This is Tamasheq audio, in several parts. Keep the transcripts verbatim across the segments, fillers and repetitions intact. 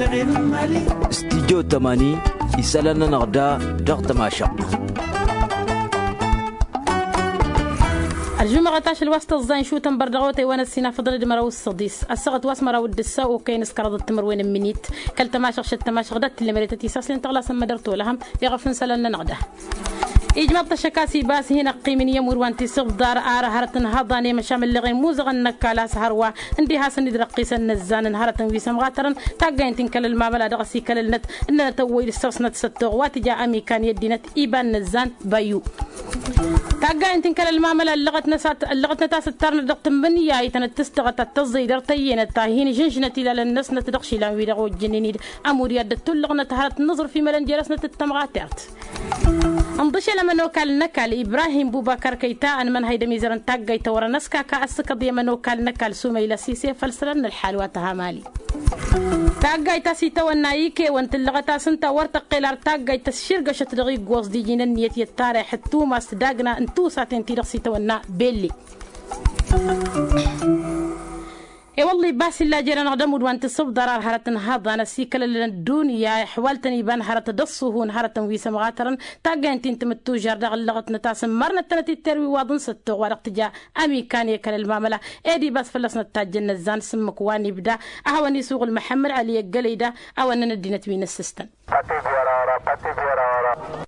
Studyo tămani isălan-nănăɣ da dăɣ-tămašăɣt. Ălžumăɣăt ašăl wa s-tăẓẓa inšutăn bărdăɣ otăy wa n-ăssinafăḍăn d-măraw s-săḍis ăssăɣăt wa s-măraw d-ǝssa okăyăn s-kăraḍăt timǝrwen n-minit. Kăl-tămašăɣ šăt tămašăɣ d-ad-tǝllămăre tătisaslen tăɣlasăn mădăr tolăhăm iɣăf n-isălan-nănăɣ da. Ijmăḍ-t ăššăk a-s ibas hin-ăqqimǝn i-ămudd wa n-tisǝbḍar ar hărăt n-haḍan i-măšam ǝlleɣen muzăɣăn n-ăkall a-s hărwa ǝndi hasăn-dd-răqqisăn inăzzan n-hărătăn wi s-ămɣatărăn taggayen ti n-kăl-ălmamăla dăɣ-s ikăl-ălnăt ǝnnănăt ăwwăy d-ǝssăɣsnăt s-ăttoɣ wa tǝja ămikan i-ăddinăt iba n-inăzzan băyyu. Taggayen ti n-kăl-ălmamăla ǝllăɣătnăt a-s ǝttărnăt dăɣ-tǝmmǝnǝya itănăt tǝstăɣăt ad-tăẓẓăy dăr-tăyyănăt ta hin-žǝnžǝnăt ilalăn-năsnăt dăɣ-išilan-wi-dăɣ ojjănen-dd ămudd i-ad-dd-tullăɣnăt hărăt n-aẓrǝf imălăn jer-asnăt d-tămɣatert. Ǝnḍǝšel ămănokal n-ăkall ibrahim bubakar kăyta ănmănhăy d-ămizăr n-taggayt ta wărăn ăskaka ăssǝkăḍ i-ămănokal n-ăkall sumayla sise făll-isălan n-ălḥal wa tăha mali. Taggayt ta s-itawănna ikewăn tǝllăɣăt-as ǝnta wăr tăqqel ar taggayt tăšširgăšăt dăɣ-iggoẓ d-iji n-ănniyăt i-ăṭṭarăy ixǝttum a-s dagna n-tusaten-ti-dăɣ s-itawănna belli. I-wălla ibas illa jer-anăɣ d-ămudd wa n-tisǝbḍar ar hărăt n-haḍan ăsikălălăn ăddunya ixwal-tăn iba n-hărăt d-ăṣṣuhu n-hărătăn wi s-ămɣatărăn taggăyăn ti n-timǝttužar dăɣ-ǝllăɣătnăt a-s ǝmmărnăt-tănăt i-terwi waḍ n-săttoɣ wa dăɣ-tǝja ămikan i-kăl-ălmamăla. Ed ibas fălla-snăt tajjăn inăzzan s-ǝmmǝk wa n-ibda ad-hawăn-isuɣǝl măḥămmăd ăli ăggălăy da. Awănnăn ăddinăt wi n-ǝssǝstăn.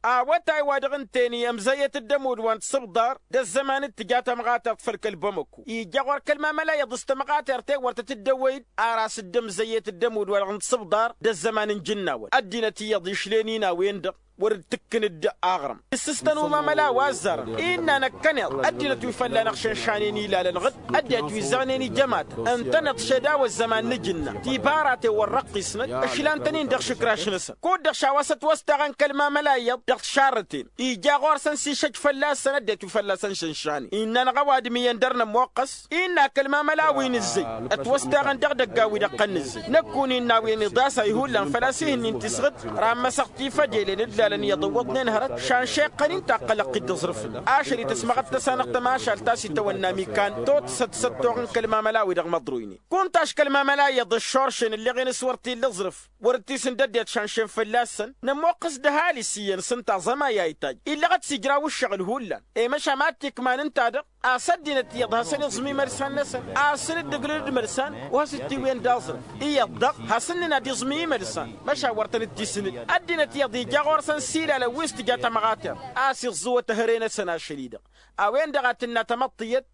Awătay wa dăɣ-ǝnta-en i-ămzăyyăt-dd ămudd wa n-tisǝbḍar d-ăzzăman d-tǝja tămɣatert făll-kăl-bamăku ija ɣur-kăl-mamăla iyyăḍ s-tămɣatert-en wăr tăt-dd-ăwwăy-dd. Ar a-s dd-ămzăyyăt-dd ămudd wa dăɣ-n tisǝbḍar d-ăzzăman n-ijǝnnawăn ăddinăt iyyăḍ išlăn-in a-wen-dăɣ wăr dd-tǝkkǝn-dd aɣrǝm issǝstăn umamăla wa ăzzarăn innă năkkăneḍ ăddinăt wi fălla-năɣ šănšanen ilalăn ɣǝd ăddinăt wi ǝzzăɣnen ijămatăn ǝntăneḍ šed a-wa ăzzăman n-ajǝnna tibaraten wăr răqqisnăt ǝšlan-tăn-in dăɣ-išǝkraš-năsăn kud-dăɣ šawa s-ătwăstaɣăn kăl-mamăla iyyăḍ dăɣ-tišarrăten ija ɣur-săn s-išăj fălla-săn ăddinăt wi fălla-săn šănšanen innă-năɣ ăwadǝm iyyăn dăr-nămoqqăs innă kăl-mamăla wi nǝzzăy ătwăstaɣăn dăɣ-idăggan wi dăɣ-tăn-nǝzzăy năkk-un innă a-wen iḍas a ihullan făl-a-s ih'-ǝnnin tisɣǝd. Ran măsăɣ tifădelen ǝllalăn iyyăḍ ǝwwăḍnen hărăt šanšeɣ-tăn-in taqqălăɣ-t-dd aẓrǝf-năɣ ašăl-i tăsmăɣăt-tăsanăɣ tămašalt ta s-itawănna amikan totsăt s-ăttoɣ n-kăl-mamăla-wi-dăɣ măḍroynen kunta a-s kăl-mamăla iyyăḍ ǝššoršen ǝlleɣ-en s-wăr t-illa aẓrǝf wăr t-isǝnd ăddinăt šanšen fălla-săn nămoqqăs d-ăhalǝs iyyăn s-ǝnta aẓămay a itajj illăɣăt s-ijraw ǝššăɣǝl hullan. I-măšan ma t-ikman ǝnta-dăɣ a-s ăddinăt iyyăḍ hasăn-iẓǝm imălsan-năsăn a ǝssǝn-dd ǝglǝl d-imălsan wa s-dd-tiwǝyăn d-aẓrǝf iyyăḍ-dăɣ hasăn-nǝnna d-iẓǝm i-imălsan. Măšan wăr tăn-dd-tisǝn ăddinăt iyyăḍ ija ɣur-săn s-ilalăn wi s-tǝja tămɣatert a-s iẓẓǝwăt ehăre-năsăn ašăl-i-dăɣ a-wen-dăɣ a tǝnna tamăḍt iyyăt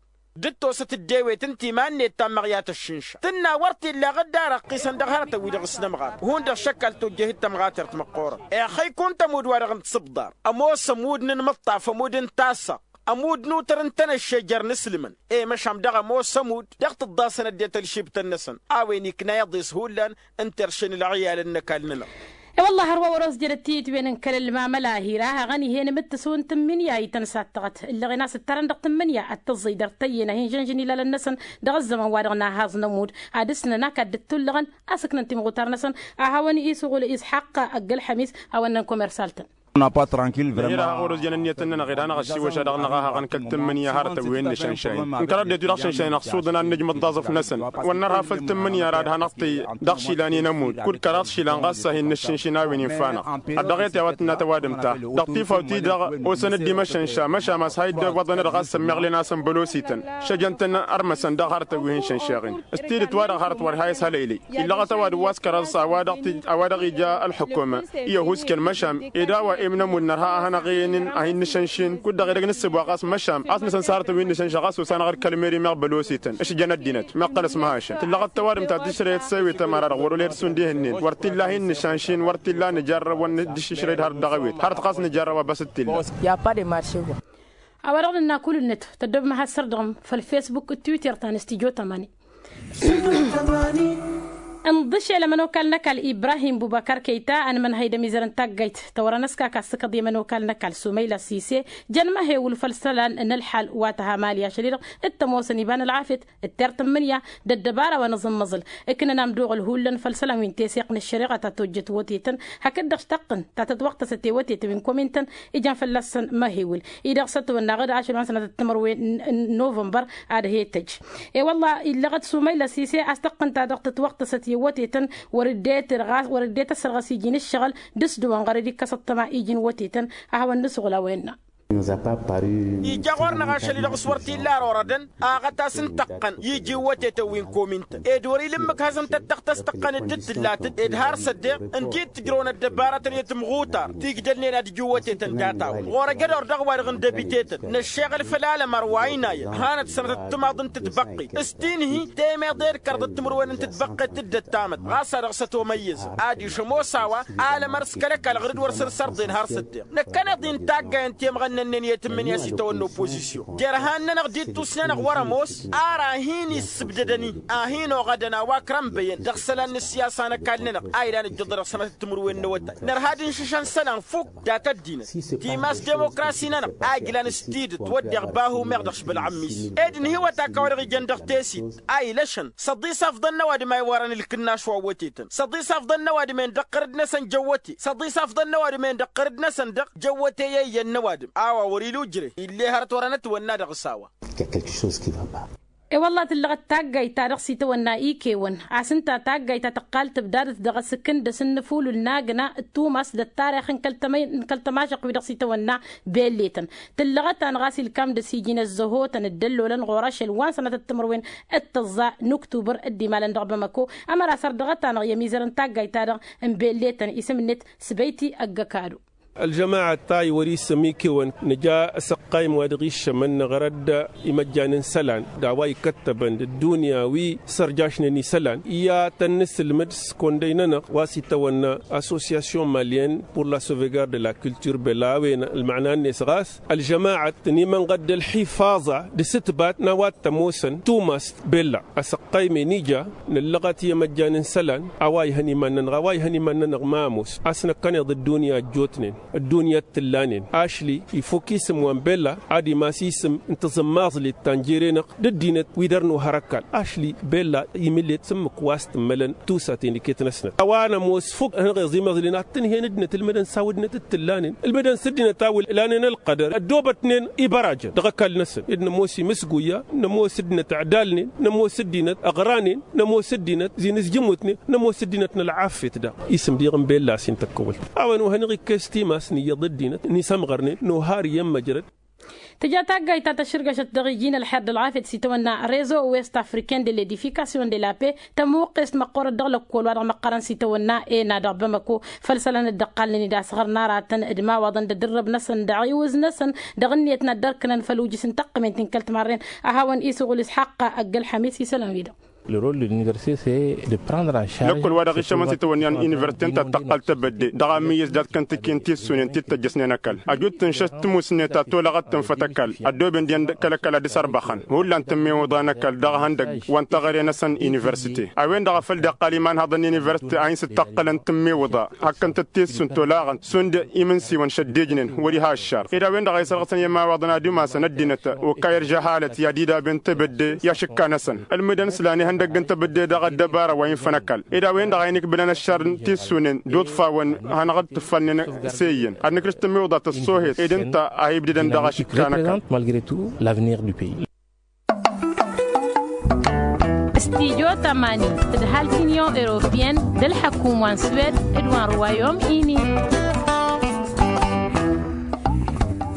d-dd-tosăt dd-ewet ǝnta iman-net ta n-măɣyat ăššǝnša tǝnna wăr t-illa ɣǝdd ar ăqqisăn dăɣ-hărătăn-wi-dăɣ s-nămɣat hundăɣ šăkk al tojjeh d-tămɣatert măqqoorăn. Ixăy kunta ămudd-wa-dăɣ n-tisǝbḍar ămoos ămudd n-inmǝṭṭaf ămudd n-tassaɣt ămudd n-utăr n-tenăšše jer-inǝslǝmăn i-măšan dăɣ-ămoos ămudd dăɣ-tǝḍḍasăn ăddinăt ălšibtăn-năsăn a-wen ikna iḍes hullan n-terše n-ălɣiyal n-ăkall-nănăɣ. I-wălla hărwa wăr-oss jădăt tiyǝtwen n-kăl-ălmamăla hir-a haɣăn ih'-en imǝttǝs wi n-tǝmmǝnǝya ităn s-ad-tăɣăt ǝllăɣen a-s ǝttărăn dăɣ-tǝmmǝnǝya ad-tăẓẓăy dăr-tăyyăn a hin-žănžăn ilalăn-năsăn dăɣ-ăzzăman wa dăɣ-nahhaẓ n-ămudd ad-ǝsnăn ak ad-dd-tullăɣăn a-s ǝknăn timɣutar-năsăn. A hawăn-isuɣǝl isḥaqq ăgg-ălxămis hawăn-năn komersal-tăn. Năhir a haɣ-wăr-ăzjăn ǝnniyăt-nănăɣ ed hanăɣ-ăssiwăša dăɣ-năɣ a haɣăn kăl-tǝmmǝnǝya hărătăn wi n-nǝšănšayăn n-kăraḍ det-wi dăɣ-šănšayăn ăṣṣuḍăn ad-nǝjmăḍ d-aẓrǝf-năsăn wăr nărha făll-tǝmmǝnǝya ara d-hanăɣ-tăyy dăɣ-išilan i-nămudd kud-kăraḍ išilan ɣas a hin-nǝššǝnšǝn a-wen infa-năɣ. Ăddăɣet i-a-wa tǝnna tăwadǝm-ta dăɣ-tifawt-i-dăɣ osăn-dd imăšănša măšan a-s ha iddewăḍăn-dăɣ a-s ămmeɣlen a-s ănbălosităn šăjăn-tăn ărmăsăn dăɣ-hărătăn wi hin-šănšeɣen. S-tidǝt-wa-dăɣ hărăt wăr ha-ishalăylăy illăɣăt ăwadǝm wa s-kăraḍ s-a-wa dăɣ-ija ălxǝkum i-ăhuusken măšan ed a-wa imnămud nărha a hanăɣ-iyyăn a hin-nǝšănšin kud-dăɣ edăgg nǝssǝbwa ɣas măšan a-s nǝsăn s-hărătăn wi n-nǝšănša ɣas osa-năɣ d-kăl-meri meɣ bălosităn ǝšjăn ăddinăt meɣ tălăs măhašăn tǝllăɣăt tăwadǝm ta tǝšrăyăt s-ewet ămăra-dăɣ wăr-olăyăt šund ih'-ǝnnin wăr t-illa a hin-nǝšănšin wăr t-illa a nǝjarrăb wăr nǝddǝššǝšrăy d-hărăt dăɣ-ewet hărăt ɣas nǝjarrăba băs d-t-illa. A-wa-dăɣ nǝnna kull-net tăddoobăm ad-has-sărdăɣăm făll-fesbuk d-twitter ta n-studyo tămani. Ǝnḍǝšel ămănokal n-ăkall ibrahim bubăkar kăyta ănmănhăy d-ămizăr n-taggayt tăwărăn ăskaka ăssǝkăḍ i-ămănokal n-ăkall sumayla sise jăn măhewǝl făll-isălan n-ălḥal wa tăha mali ašăl-i-dăɣ. D-tămoosăn iba n-ălɣafyăt d-tertǝmmǝnǝya d-ăddăbara wa n-aẓǝmmăẓǝl ǝknăn amduɣǝl hullan făll-isălan wi n-teseɣt n-ăššăreɣa ta tojjăt wotităn hakd-dăɣ-s taqqǝn ta tătwăɣtăsăt i-wotităn wi n-komintăn. Ijan fălla-săn măhewǝl-i-dăɣ s-ătwănnaɣ-dd ašăl wa n-sănatăt timărwen n-novămbăr ad-he-tăjj. I-wălla illăɣăt sumayla sise a-s taqqǝn ta dăɣ-tătwăɣtăsăt. Wătetăn wăr-dd-e-tăsărɣăs iji n-ǝššăɣǝl d-s dăɣ-wăn ɣărăd ikkăs ăṭṭăma iji n-wătetăn. A hawăn-nǝsɣǝl a-wen-năɣ. Ija ɣur-năɣ ašăl-i dăɣ-s wăr t-illa ar orădăn aɣăt a-s n-tăqqăn iji n-wătetăn wi n-komintăn ed wăr-ila ǝmmǝk hazăn-tăt-tăɣtăs tăqqăn-dd d-tǝllat-dd ed har s-ăddeɣ ǝnta-i t-ǝjrăwăn ăddăbaratăn i-timɣutar ti ǝjdălnen ad-ǝjǝw wătetăn data-wăn ɣur-ăj ădor dăɣ-wa-dăɣ n-dăbitetăn năššeɣăl făll-alămăr wa ăynayăn hanăt-sănătăt timaḍ n-tǝtbăqqet s-ti-nǝhi temeḍe d-kăraḍăt timǝrwen n-tǝtbăqqet d-ăttamăt ɣas a dăɣ-s ătomăyyăzăm adiš ămoos a-wa alămăr s-kăl-ăkall ɣǝr-dd wăr săr-sărḍen har s-ăddeɣ. Năkkăneḍ-i n-taggay n-temɣăn-nănnăn i-tǝmmǝnǝya s-itawănna opozisyon jer-han-nănăɣ d-ittus-nănăɣ wăr-ămoos ar a hin-issǝbdădăn-i a hin-oɣădăn a-wa ǝkrănbăyăn dăɣ-isălan n-ǝssiyasa n-ăkall-nănăɣ a ilan ǝjjǝḍ dăɣ-sănătăt timǝrwen n-awătay nărha ad-inšǝšăn isălan fukk. Dat ăddinăt timas demokrasi-nănăɣ a ijlan s-tidǝt wădden bahu meɣ dăɣ-s bălɣămmis ed ǝnhǝywăt akk a-wa-dăɣ ijăn dăɣ-tesit a ilăšăn s-ăḍḍisafḍăn n-ăwadǝm a iwărăn ǝlkǝnnaš wa n-wătetăn s-ăḍḍisafḍăn n-ăwadǝm-en dăɣ-tărǝd-năsăn jăwwăte s-ăḍḍisafḍăn n-ăwadǝm-en dăɣ-tărǝd-năsăn dăɣ-jăwwăte i-iyyăn n-ăwadǝm a-wa wăr-ila ujre ill'-e hărăt wărăn ătwănna dăɣ-s a-wa. E-wălla tǝllăɣăt taggayt ta dăɣ-s itawănna ikewăn a-s ǝnta taggayt ta tăqqal tǝbdadăt dăɣ-asǝkkǝn d-asǝnnǝfulul n-agna d-tumas d-ăttarix n-kăl-tămašăq wi dăɣ-s itawănna belletăn tǝllăɣăt-anăɣ a-s ilkam d-asijin ăzzăhotăn dd-ăllolăn ɣur-ašăl wa n-sănatăt timǝrwen d-tăẓẓa n-uktubăr dd-imalăn dăɣ-bamăko. Ămăra sărdăɣăt-anăɣ i-ămizărăn taggayt-ta-dăɣ n-belletăn isǝm-net s-băyti ăgg-ăkadu. Ălžămaɣăt ta iwăr-isǝm ikewăn nǝja asăqqayǝm wa dăɣ-iššămăn năɣrăd imăjjan n-isălan d-a-wa ikăttăbăn d-ăddunya wi sărjašnen isălan i-ad-tăn-nǝsǝlmǝd s-kăwăn-dăy-nănăɣ wa s-itawănna association malyen pour la sauvegarde de la culture bella a-wen ălmăɣna-net ɣas ălžămaɣăt tăn-imănɣăd d-ălḥifaẓa d-asǝtbat n-a-wa t-ămoosăn tumast bella. Asăqqayǝm-en ija nǝllăɣăt i-emăjjan n-isălan a-wa ihăn iman-nănăɣ a-wa ihăn iman-nănăɣ ma ămoos a-s năkkăneḍ ăddunya ăjjootnen ăddunya t-tǝllanen ašli ifuk isǝm wa n-bella ad-imas isǝm n-taẓǝmmaẓlet ta n-jere-năɣ d-ăddinăt wi dăr-nuhăr ăkall ašli bella imǝlet s-ǝmmǝk wa s-tǝmmălăn tusa tenǝket-năsnăt a-wa nămoos fuk hanăɣ-eẓ imăẓlen ad-tǝnhen ăddinăt ǝlmǝdăn s-a-wa ăddinăt t-tǝllanen ǝlmǝdăn s-ăddinăt a-wa ǝlanen ălqădăr ăddoobătnen ibărajăn dăɣ-ăkall-năsăn ed nămoos imǝsguya nămoos ăddinăt ăɣdalnen nămoos ăddinăt ăɣranen nămoos ăddinăt zi-nǝzjǝmutnen nămoos ăddinăt n-ălɣafyăt daɣ. Isǝm diɣ n-bella a-s hin-tăkkăwăl a-wen wa hanăɣ-ikkes timas n-iyyăḍ ăddinăt n-isămɣărnen nohar iyyăn măjrăd. Tǝja taggayt ta tăšrǝgăšăt dăɣ-iji n-ălxer d-ălɣafyăt s-itawănna rezo west africain de l'edification de la paix tămuqqest măqqorăt dăɣ-lăkkol wa dăɣ-măqqărăn s-itawănna ena dăɣ-bamăko făll-isălan dd-ăqqalnen-dd a-s ɣărnăratăn d-imawaḍăn d-adǝrrăb-năsăn d-aɣiwǝz-năsăn dăɣ-ǝnniyăt n-ad-dd-ărkǝnăn făll-ujǝs n-taqqǝment n-kăl-timarren. A hawăn-isuɣǝl isxaqqa ăgg-ălxămis isălan-wi-dăɣ. Le rôle de l'université c'est de prendre en charge lăkkol wa dăɣ-išămăn s-itawănna n-université n-ta tăqqăl tebădde dăɣ-amǝyyǝs dat-kăntǝkki n-tissunen ti t-ăjjăsnen ăkall ăjut tǝnšăt tǝmusnet a tolăɣăt tǝnfăt ăkall ăddooben dihen kăl-ăkall ad-dd-sărbăxăn hullan tǝmmewǝḍa n-ăkall dăɣ-ihăndăgg wa n-teɣăre-năsăn université a-wen-dăɣ a făl dd-iqqal imanhăḍăn n-université a hin-sǝttaqqălăn tǝmmewǝḍa hakkăn-tăt tissun tolăɣăn šund imǝnsiwăn šăddejnen wăr-iha ăššar ed a-wen-dăɣ a isărɣǝsăn i-ămawaḍăn ad-umasăn ăddinăt okayăr žăhalăt i-ad-idaben tebădde i-ašǝkka-năsăn ǝlmǝdăn s-lan ihăndăgg n-tebădde dăɣ-ăddăbara wa infăn ăkall ed a-wen-dăɣ a inikbǝlăn ăššar n-tissunen d-uḍfawăn hanăɣ-dd-tǝffalnen s-e iyyăn ad-nǝkrǝš tǝmmiwǝḍa tăssohet ed ǝnta a hi-ibdǝdăn dăɣ-ašǝkka n-ăkall. Malgré tout l'avenir du pays. Studyo tămani tǝdhal t-union européenne d-ălḥăkum wa n-suwed d-wa n-ruwayom ini.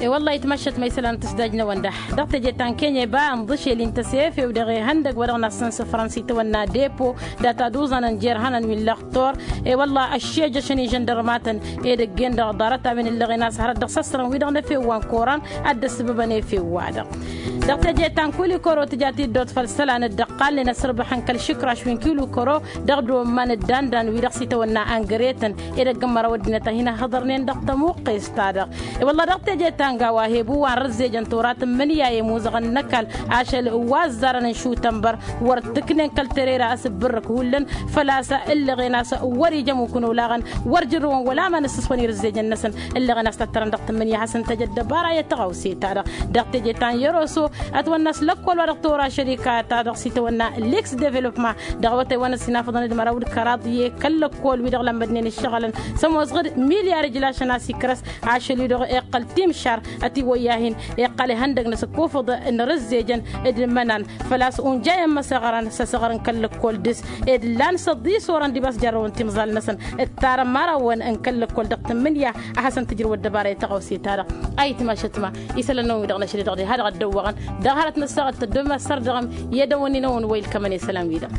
E-wălla-hi tmăššăt ma isălan tǝsdajnăwăn da dăɣ-teje ta n-kenya iba ănḍǝšel-in tăsefew dăɣ-ihăndăg wa dăɣ-nassăn s-fransa itawănna depo data d-uẓanăn jer-hănăn wi n-lăxtor. E-wălla ăššejăšăn ižăndărmatăn edăgg-en dăɣ-ḍarăt a-wen ǝllăɣen a-s hărăt dăɣ-săssărăn wi-dăɣ n-efew wa n-koran ad-dd-ăssǝbăbăn efew-wa-dăɣ. Dăɣ-teje ta n-kulikoro tǝja tiddot făll-isălan dd-ăqqalnen ăsrǝbăxăn kăl-išǝkraš wi n-kilukoro dăɣ-dd-omman dd-andan wi-dăɣ s-itawănna angăretăn edăgg n-măraw ăddinăt a hin-ăhhăḍărnen dăɣ-tămuqqest-ta-dăɣ. E-wălla dăɣ-teje ta n-gawa hebu wa n-rǝzzejăn tora tǝmmǝnǝya i-imuzăɣăn n-ăkall ašăl wa ăzzarăn n-šutănbăr wăr t-ǝknen kăl-terăy ra asǝbbǝrrǝk hullan făl-a-s ǝllăɣen a-s wăr-ija ămukǝn olaɣăn wăr jărrǝwăn wăla ma n-ǝssǝswăn irǝzzejăn-năsăn. Ǝllăɣen a-s tăttărăn dăɣ-tǝmmǝnǝya ad-hasăn-tăj ăddăbara i-ad-tăɣawse-ta-dăɣ dăɣ-teje ta n-yerăso Ătwănna s-lăkkol wa dăɣ-tora šărika-ta-dăɣ s-itwănna liks developma dăɣ-awătay wa n-ăsinafăḍăn d-măraw d-kăraḍ i-kăl-lăkkol wi-dăɣ lămmădnen ǝššăɣǝlăn s-ămoosăɣ-dd milyar ijlašăn a-s ikrăs ašăl-i-dăɣ iqqăl timšar. Ătiwăyya-hin iqqăl ihăndăg n-asǝkkufǝḍ n-rǝzzejăn d-imănan făl-a-s unjayăn măsăɣărăn s-asăɣăr n-kăl-lăkkol dăɣ-s ed ǝllan s-ăḍḍis orăn dibas jarrăwăn timẓal-năsăn d-tarămarawăn n-kăl-lăkkol dăɣ-tǝmmǝnǝya. A hasăn-tǝjrǝw ăddăbara i-taɣăwse-ta-dăɣ ayǝtma ašătma isălan-năwăn-wi-dăɣ n-ašăl-i-dăɣ diha dăɣ-ăddăwwăɣăn dăɣ-hărăt n-ăssaɣăt tăddom asărdăɣăm i-edăwănni-năwăn wa ilkămăn isălan-wi-dăɣ.